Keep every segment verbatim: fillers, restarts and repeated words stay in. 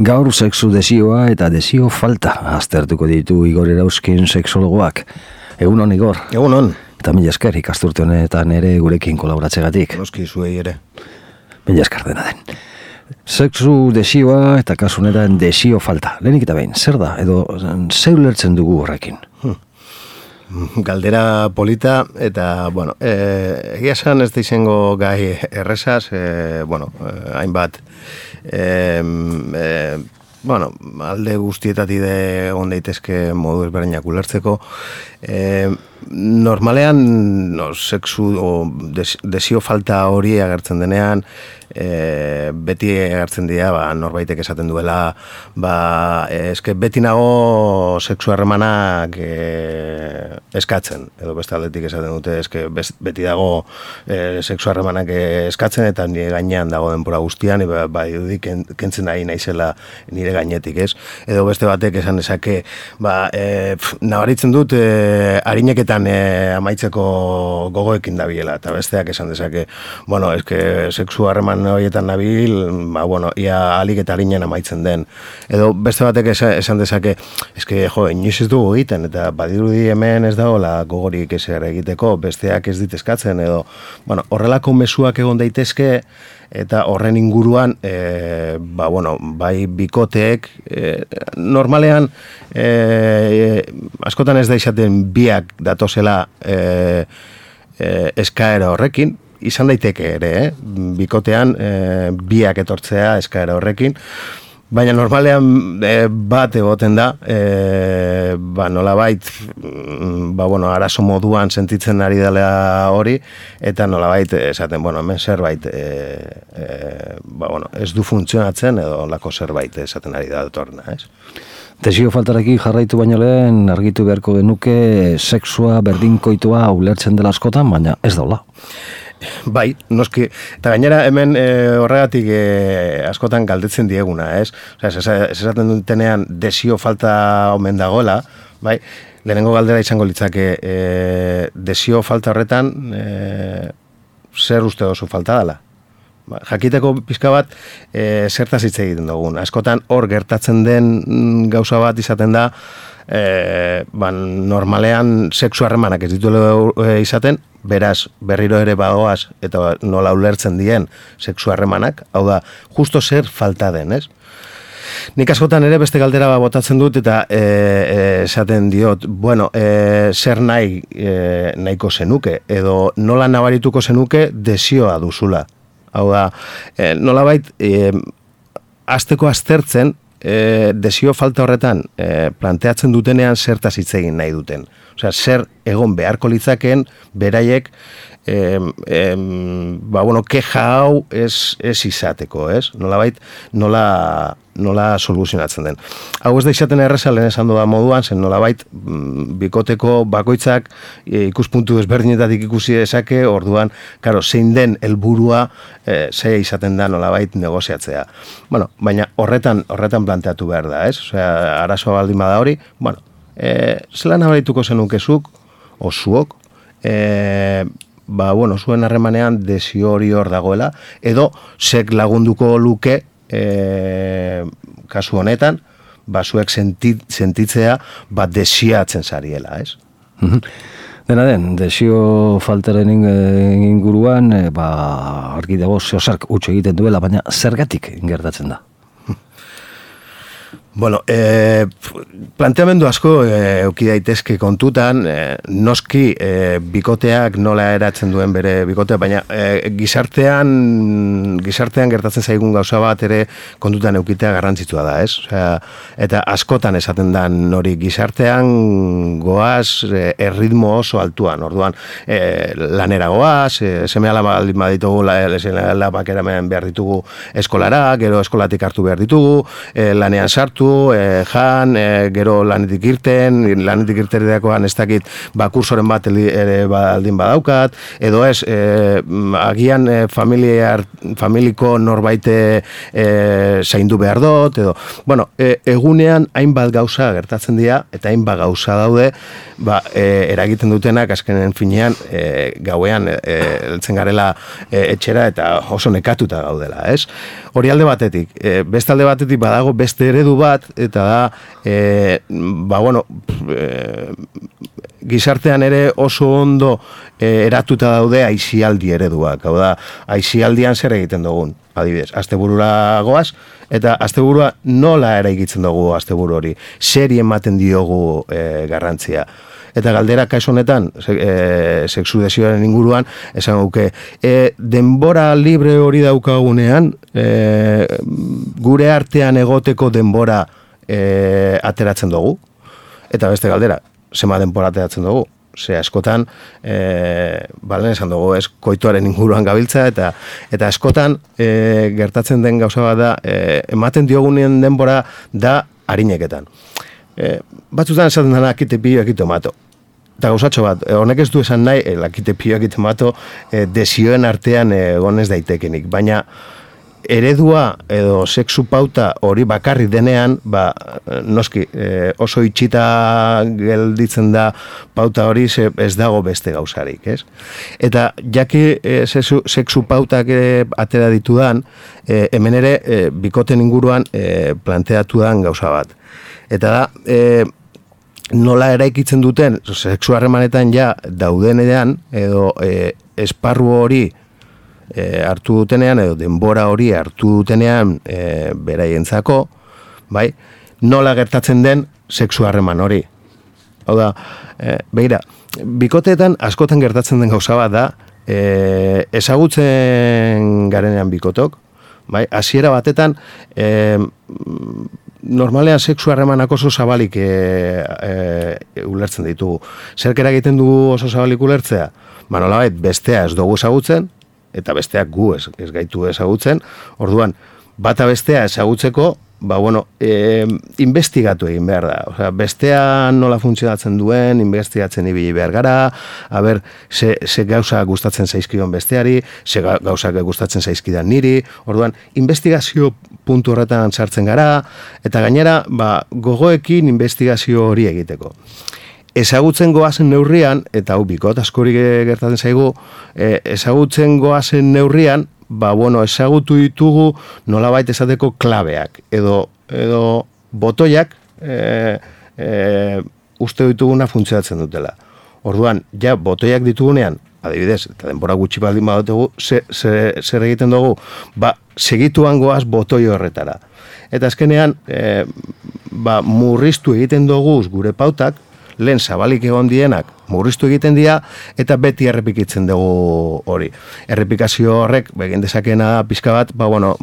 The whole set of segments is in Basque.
Gaur sexu desioa eta desio falta aztertuko ditu Igor Erauzkin sexologoak. Egunon, Igor. Egunon. Eta mila esker ikasturte honetan ere gurekin kolaboratzegatik. Noski zuei ere. Mila esker dena den. Sexu desioa eta kasu honetan desio falta. Lehenik eta behin, zer da? Edo zer ulertzen dugu horrekin? Hmm. Galdera polita eta, bueno, eh, egia esan ez da izango gai errezaz, eh, bueno, eh, hainbat, eh, eh, bueno, alde guztietatik de egon daitezke modu ezberdinak ulertzeko. Eh, normalean, no, sexu o des, desio falta hori agertzen denean, e, beti agertzen dira, ba, norbaitek esaten duela, ba, eske beti nago sexu harremanak e, eskatzen, edo beste aldetik esaten dute, eske beti dago e, sexu harremanak eskatzen, eta nire gainean dago denbora guztian, ba, ba ken, kentzen nahi naizela nire gainetik, ez? Edo beste batek esan dezake, ba, e, pf, nabaritzen dut, e, harineketan e, amaitzeko gogoekin dabilela, eta besteak esan dezake, bueno, eske sexu harreman horietan nabil, ba, bueno, ia alik eta harinen amaitzen den. Edo beste batek esan dezake, eske, jo, inoiz ez dugu egiten, eta badirudi hemen ez dagoela gogorik ezer egiteko, besteak ez dit eskatzen, edo, bueno, horrelako mezuak egon daitezke, eta horren inguruan, e, ba, bueno, bai bikoteek, e, normalean, e, e, askotan ez da izaten biak datozela e, e, eskaera horrekin, izan daiteke ere, eh? Bikotean e, biak etortzea eskaera horrekin, baina normalean e, bat egoten da, e, ba, nolabait, ba, bueno, arazo moduan sentitzen ari dela hori, eta nolabait esaten, bueno, hemen zerbait e, e, ba, bueno, ez du funtzionatzen, edo lako zerbait esaten ari da datorna, ez? Desio faltarekin jarraitu baino lehen argitu beharko genuke sexua berdinkoitua ulertzen dela askotan, baina ez daula. Bai, noski, eta gainera hemen e, horregatik e, askotan galdetzen dieguna, ez? Osea, esaten dutenean desio falta omen dagoela, bai? Lehenengo galdera izango litzake, e, desio falta horretan e, zer uste oso falta dela? Ba, jakiteko pizka bat e, zertaz hitz egiten dugun. Askotan hor gertatzen den gauza bat izaten da, e, ba, normalean sexu harremanak ez dituela izaten, beraz, berriro ere bagoaz, eta nola ulertzen dien sexu harremanak, hau da, justo zer falta den, ez? Nik askotan ere beste galdera botatzen dut, eta e, e, esaten diot, bueno, e, zer nahi e, nahiko zenuke, edo nola nabarituko zenuke desioa duzula. Hau da, e, nolabait, e, azteko aztertzen, e, desio falta horretan e, planteatzen dutenean zertaz hitz egin nahi duten. Osea, zer egon beharko litzakeen beraiek em, em, ba, bueno, keja hau ez, ez izateko, ez? Nolabait, nola, nola soluzionatzen den. Hau ez da izaten erreza lehen esan da moduan, zen nolabait bikoteko bakoitzak e, ikuspuntu ezberdinetatik ikusi dezake, orduan, karo, zein den helburua e, ze izaten da nolabait negoziatzea. Bueno, baina horretan, horretan planteatu behar da, ez? Osea, arazoa baldin bada hori, bueno, E, zelan abarituko zenukezuk, o zuok, e, ba, bueno, zuen harremanean desio hori hor dagoela, edo zek lagunduko luke e, kasu honetan, ba, zuek sentit, sentitzea, ba, desiatzen zariela, ez? Dena den, desio faltaren inguruan, e, ba, argi dago zeozark utxo egiten duela, baina zergatik gertatzen da? Bueno, eh, planteamendu asko eh, euki daitezke kontutan, eh, noski eh, bikoteak nola eratzen duen bere bikotea, baina eh, gizartean gizartean gertatzen zaigun gauza bat ere kontutan eukitea garrantzitsua da, ez? Osea, eta askotan esaten da hori gizartean goaz eh, erritmo oso altuan, orduan eh, lanera goaz, eh, seme alaba baditugu, alabak eramen behar ditugu eskolara, gero eskolatik hartu behar ditugu, eh, lanean sartu, hartu, e, jan, e, gero lanetik irten, lanetik irterideakoan ez dakit, ba, kursoren bat ere baldin badaukat, edo ez, e, agian e, familiar, familiko norbaite e, zaindu behar dut, edo, bueno, e, egunean hainbat gauza gertatzen dira, eta hainbat gauza daude, ba, e, eragiten dutenak, azkenen finean, e, gauean, e, eltzen garela e, etxera, eta oso nekatuta gaudela, ez? Hori alde batetik, e, beste alde batetik badago beste eredu bat, eta da, e, ba, bueno, e, gizartean ere oso ondo e, eratuta daude aizialdi ereduak, hau da, aizialdian zer egiten dugun, adibidez, asteburura goaz, eta asteburua nola eraikitzen dugu asteburu hori, zeri ematen diogu e, garrantzia. Eta galdera kaso honetan, e, sexu desioaren inguruan, esan guke, e, denbora libre hori daukagunean, e, gure artean egoteko denbora e, ateratzen dugu. Eta beste galdera, zema denbora ateratzen dugu. Ze askotan, e, balen esan dugu, ez koituaren inguruan gabiltza, eta eta askotan e, gertatzen den gauza bat da, e, ematen diogunean denbora da harineketan. E, batzutan esaten dena akite pio, akite mato. Eta gauzatxo bat, honek ez du esan nahi, e, akite pio, akite mato, e, desioen artean egon ez daitekenik. Baina eredua edo sexu pauta hori bakarri denean, ba, noski, e, oso itxita gelditzen da pauta hori, ze ez dago beste gauzarik, ez? Eta jaki e, sexu, sexu pautak e, atera ditudan, e, hemen ere, e, bikoten inguruan e, planteatu dan gauza bat. Eta da, e, nola eraikitzen duten, sexu harremanetan ja daudenean, edo e, esparru hori e, hartu dutenean, edo denbora hori hartu dutenean e, beraientzako, bai, nola gertatzen den sexu harreman hori. Hau da, e, begira, bikoteetan askotan gertatzen den gauza bat da, e, ezagutzen garenean bikotok, bai, hasiera batetan, e, normalean sexu harremanak oso zabalik e, e, ulertzen ditugu. Zerk eragiten dugu oso zabalik ulertzea? Ba, nolabait, bestea ez dugu ezagutzen, eta besteak gu ez, ez gaitu ezagutzen. Orduan, bata bestea ezagutzeko, ba, bueno, e, investigatu egin behar da. Osea, bestea nola funtzionatzen duen, investigatzen ibili behar gara, a ber, ze, ze gauza gustatzen zaizkion besteari, ze gauza gustatzen zaizkidan niri. Orduan, investigazio puntu horretan sartzen gara, eta gainera, ba, gogoekin investigazio hori egiteko. Ezagutzen goazen neurrian, eta hau bikot askori gertatzen zaigu, e, ezagutzen goazen neurrian, ba, bueno, ezagutu ditugu nolabait esateko klabeak, edo, edo botoiak e, e, uste dituguna funtzionatzen dutela. Orduan, ja, botoiak ditugunean, adibidez, eta denbora gutxi baldin badutegu, zer ze, egiten dugu, ba, segituan goaz botoi horretara. Eta azkenean, e, ba, murriztu egiten dugu gure pautak, lehen zabalik egon dienak murriztu egiten dira, eta beti errepikitzen dugu hori. Errepikazio horrek, begin dezakena pizka bat, ba, bueno,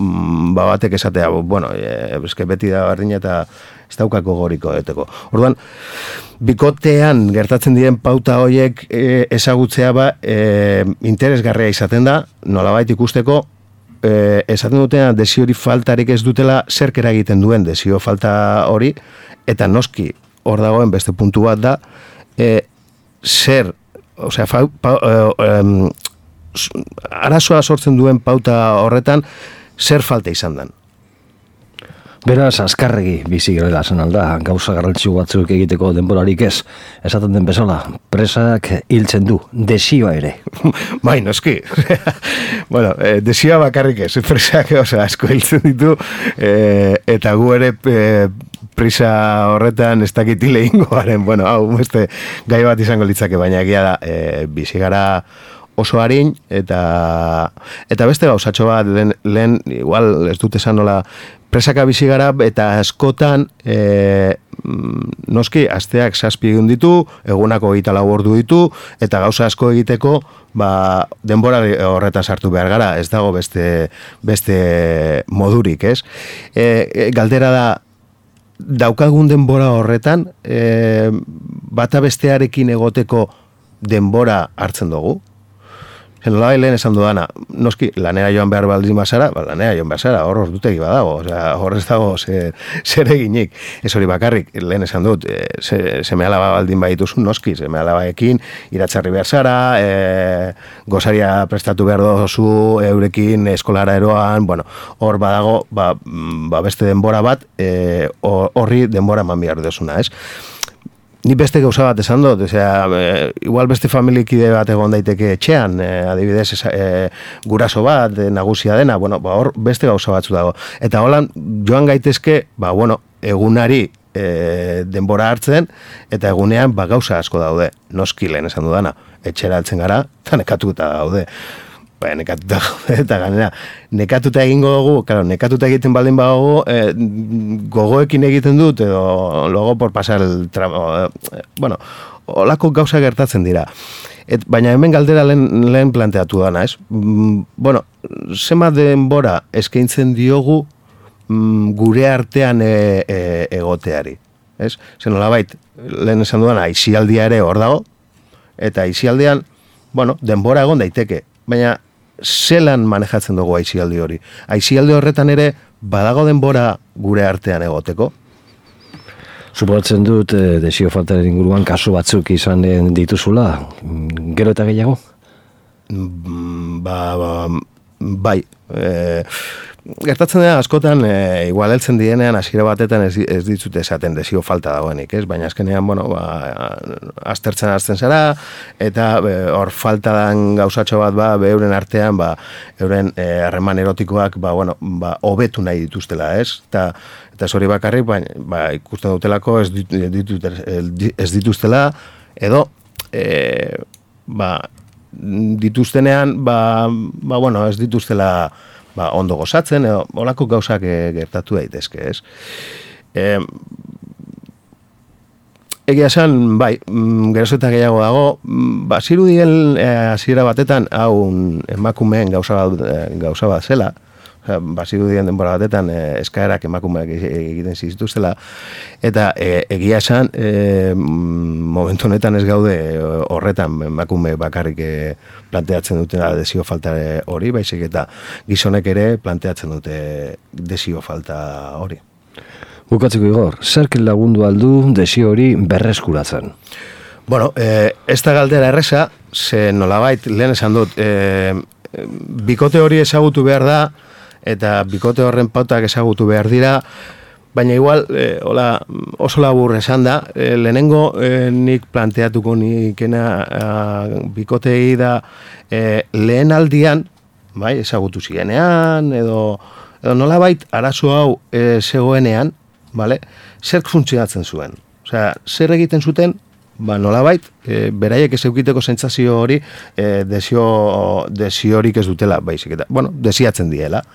ba, batek esatea, bueno, e, eske beti da berdin eta ez daukako goriko eteko. Orduan, bikotean gertatzen diren pauta horiek e, ezagutzea ba, e, interesgarria izaten da, nolabait ikusteko, e, esaten dutena desio hori faltarik ez dutela zerk eragiten duen desio falta hori, eta noski, hor dagoen beste puntu bat da, e, zer, osea, fa, pa, e, e, arazoa sortzen duen pauta horretan, zer falta izan den. Beraz, azkarregi bizi garela zen alda, gauza garrantzio batzuk egiteko denborarik ez, esaten den bezala, presak hiltzen du, desioa ere. Bai, noski. Bueno, eh, desioa bakarrik ez, presak, osea, asko hiltzen ditu, eh, eta gu ere eh, prisa horretan ez dakitile ingoaren, bueno, hau, beste gai bat izango litzake, baina egia da, e, bizi gara oso harin, eta eta beste gauzatxo bat, lehen, lehen igual ez dut esan nola, presaka bizi gara, eta askotan, e, noski, asteak zazpi egun ditu, egunako hogeita lau ordu ditu, eta gauza asko egiteko, ba, denbora horretan sartu behar gara, ez dago beste, beste modurik, ez? E, galdera da, daukagun denbora horretan, e, bata bestearekin egoteko denbora hartzen dugu. Nola bai lehen esan dudana, noski, lanera joan behar baldin bazara, ba, lanera joan behar zara, hor ordutegi badago, osea, hor ez dago zer, zer eginik. Ez hori bakarrik, lehen esan dut, e, se, seme alaba baldin badituzu, noski, seme alabaekin, iratzarri behar zara, e, gozaria prestatu behar dozu, eurekin eskolara eroan, bueno, hor badago, ba, ba beste denbora bat, e, horri denbora eman behar dozuna, ez? Ni beste gauza bat esan dut, osea, e, igual beste familikide bat egon daiteke etxean, e, adibidez, e, guraso bat, e, nagusia dena, bueno, ba, hor beste gauza batzu dago. Eta holan, joan gaitezke, ba, bueno, egunari e, denbora hartzen, eta egunean, ba, gauza asko daude, noski lehen esan dudana, etxera altzen gara, eta nekatuta daude. Ba, nekatuta eta ganera, nekatuta egingo dugu, claro, nekatuta egiten baldin badugu, eh, gogoekin egiten dut, edo logo por pasar el tramo, eh, bueno, olako gauza gertatzen dira. Et, baina hemen galdera lehen, lehen planteatu dana, ez? Mm, bueno, zema denbora eskaintzen diogu mm, gure artean e, e, egoteari, ez? Zen nolabait, lehen esan duana, aisialdia ere hor dago, eta aisialdean, bueno, denbora egon daiteke, baina zelan manejatzen dugu aisialdi hori. Aisialdi horretan ere badago denbora gure artean egoteko. Suposatzen dut eh, desio faltaren inguruan kasu batzuk izan dituzula, gero eta gehiago? Ba, ba, bai, e, gertatzen dira askotan, e, igual heltzen dienean hasiera batetan ez, ez ditzute esaten desio falta dagoenik, ez? Baina azkenean, bueno, ba, aztertzen azten zara, eta hor falta dan gauzatxo bat, ba, euren artean, ba, euren harreman erotikoak, ba, bueno, ba, hobetu nahi dituztela, ez? Eta, eta hori bakarrik, ba, ba, ikusten dutelako ez, ditut, ez dituztela, edo, e, ba, dituztenean, ba, ba, bueno, ez dituztela, ba, ondo gozatzen, edo, olako gauzak e, gertatu daitezke, ez? E, egia esan, bai, geroz eta gehiago dago, ba, zirudien hasiera batetan, hau emakumeen gauza bat, gauza bat zela, bazirudien denbora batetan e, eskaerak emakumeak egiten zituztela, eta e, egia esan e, momentu honetan ez gaude horretan emakume bakarrik e, planteatzen dutena desio falta hori, baizik eta gizonek ere planteatzen dute desio falta hori. Bukatzeko Igor, zerk lagundu aldu desio hori berreskuratzen? Bueno, e, ez da galdera erresa, ze nolabait lehen esan dut, e, bikote hori ezagutu behar da, eta bikote horren pautak ezagutu behar dira, baina igual, e, hola, oso labur esan da, e, lehenengo e, nik planteatuko nikena e, bikotei da e, lehen aldian, bai, ezagutu zirenean, edo, edo nolabait arazo hau e, zegoenean, bale, zer funtzionatzen zuen. Osea, zer egiten zuten, ba, nolabait, e, beraiek ez eukiteko sentsazio hori e, desio, desiorik ez dutela, baizik eta, bueno, desiatzen diela.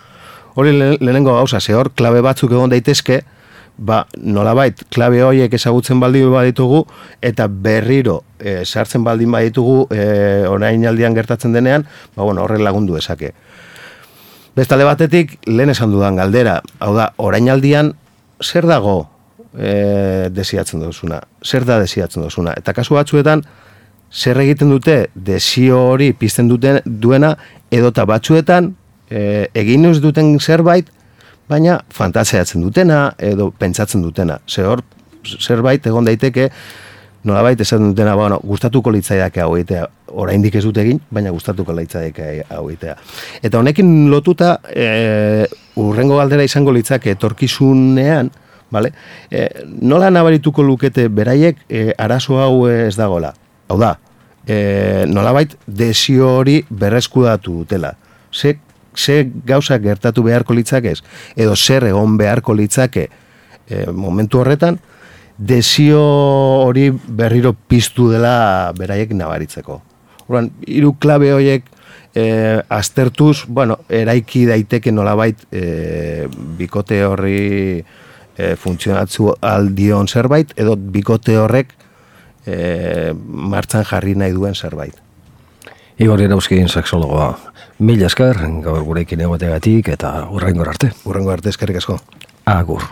Hori lehenengo gauza, ze hor klabe batzuk egon daitezke, ba, nolabait, klabe horiek ezagutzen baldin baditugu, eta berriro e, sartzen baldin baditugu e, orain aldian gertatzen denean, ba, bueno, horren lagundu ezake. Bestale batetik, lehen esan dudan galdera, hau da, orain aldian, zer dago e, desiatzen duzuna? Zer da desiatzen duzuna? Eta kasu batzuetan, zer egiten dute desio hori pizten duten, duena, edota batzuetan, E, egin ez duten zerbait, baina fantaseatzen dutena edo pentsatzen dutena. Ze hor, zerbait egon daiteke, nolabait esaten dutena, bueno, gustatuko litzaidake hau egitea, oraindik ez dut egin, baina gustatuko litzaidake hau egitea. Eta honekin lotuta, e, urrengo galdera izango litzake etorkizunean, vale? E, nola nabarituko lukete beraiek e, arazo hau ez dagoela? Hau da, e, nolabait desio hori berreskudatu dutela. Ze ze gauza gertatu beharko litzakez, edo zer egon beharko litzake e, momentu horretan, desio hori berriro piztu dela beraiek nabaritzeko. Orduan, hiru klabe horiek e, aztertuz, bueno, eraiki daiteke nolabait e, bikote horri e, funtzionatzu aldion zerbait, edo bikote horrek e, martxan jarri nahi duen zerbait. Igor Irauzkin sexologoa. Mila esker, gaur gurekin egoteagatik eta hurrengo arte. Hurrengo arte, eskerrik asko. Agur.